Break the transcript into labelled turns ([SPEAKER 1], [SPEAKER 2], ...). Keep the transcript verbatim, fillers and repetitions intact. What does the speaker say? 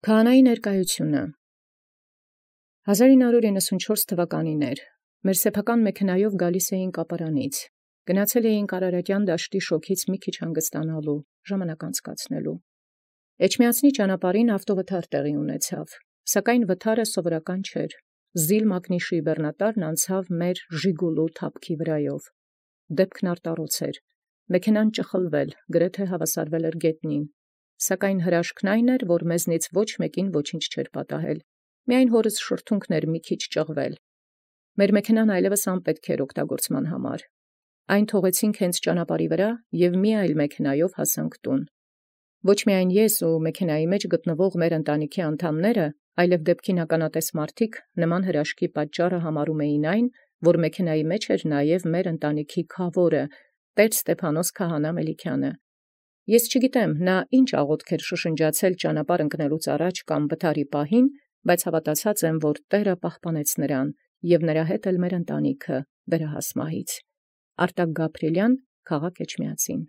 [SPEAKER 1] Քահանայի ներկայութիւնը հազար ինը հարյուր իննսունչորս թվականին մեր սեփական մեքենայով գալիս էինք կապարանից, գնացել էինք Արարատեան դաշտի շոգից մի քիչ հանգստանալու, ժամանակ անցկացնելու։ Էջմիածնի ճանապարհին ավտովթար տեղի ունեցավ, սակայն վթարը սովորական չէր։ Զիլ մակնիշի բեռնատարն անցավ մեր Ժիգուլու թափքի վրայով։ Դեպքն արտառոց էր, մեքենան ճխլվել, գրեթե հավասարվել էր գետնին, սակայն հրաշքն այն էր, որ մեզնից ոչ մեկին ոչինչ չէր պատահել, միայն հորս շրթունքն էր մի քիչ ճղվել։ Մեր մեքենան այլևս անպետք էր օգտագործման համար։ Այն թողեցինք հենց ճանապարհի վրա և մի այլ մեքենայով հասանք տուն։ Ոչ միայն ես ու մեքենայի մեջ գտնվող մեր ընտանիքի անդամները, այլև դեպքին ականատես մարդիկ նման հրաշքի պատճառը համարում էին այն, որ մեքենայի մեջ էր նաև մեր ընտանիքի քավորը, տեր Ստեփանոս քահանա Մելիքյանը։ Ես չգիտեմ, նա ինչ աղոթք էր շշնջացել ճանապարհ ընկնելուց առաջ կամ վթարի պահին, բայց հավատացած եմ, որ Տէրը պահպանեց նրան և նրա հետ էլ մեր ընտանիքը վերահաս մահից։ Արտակ Գաբրիելյան, քաղաք Էջմիածին։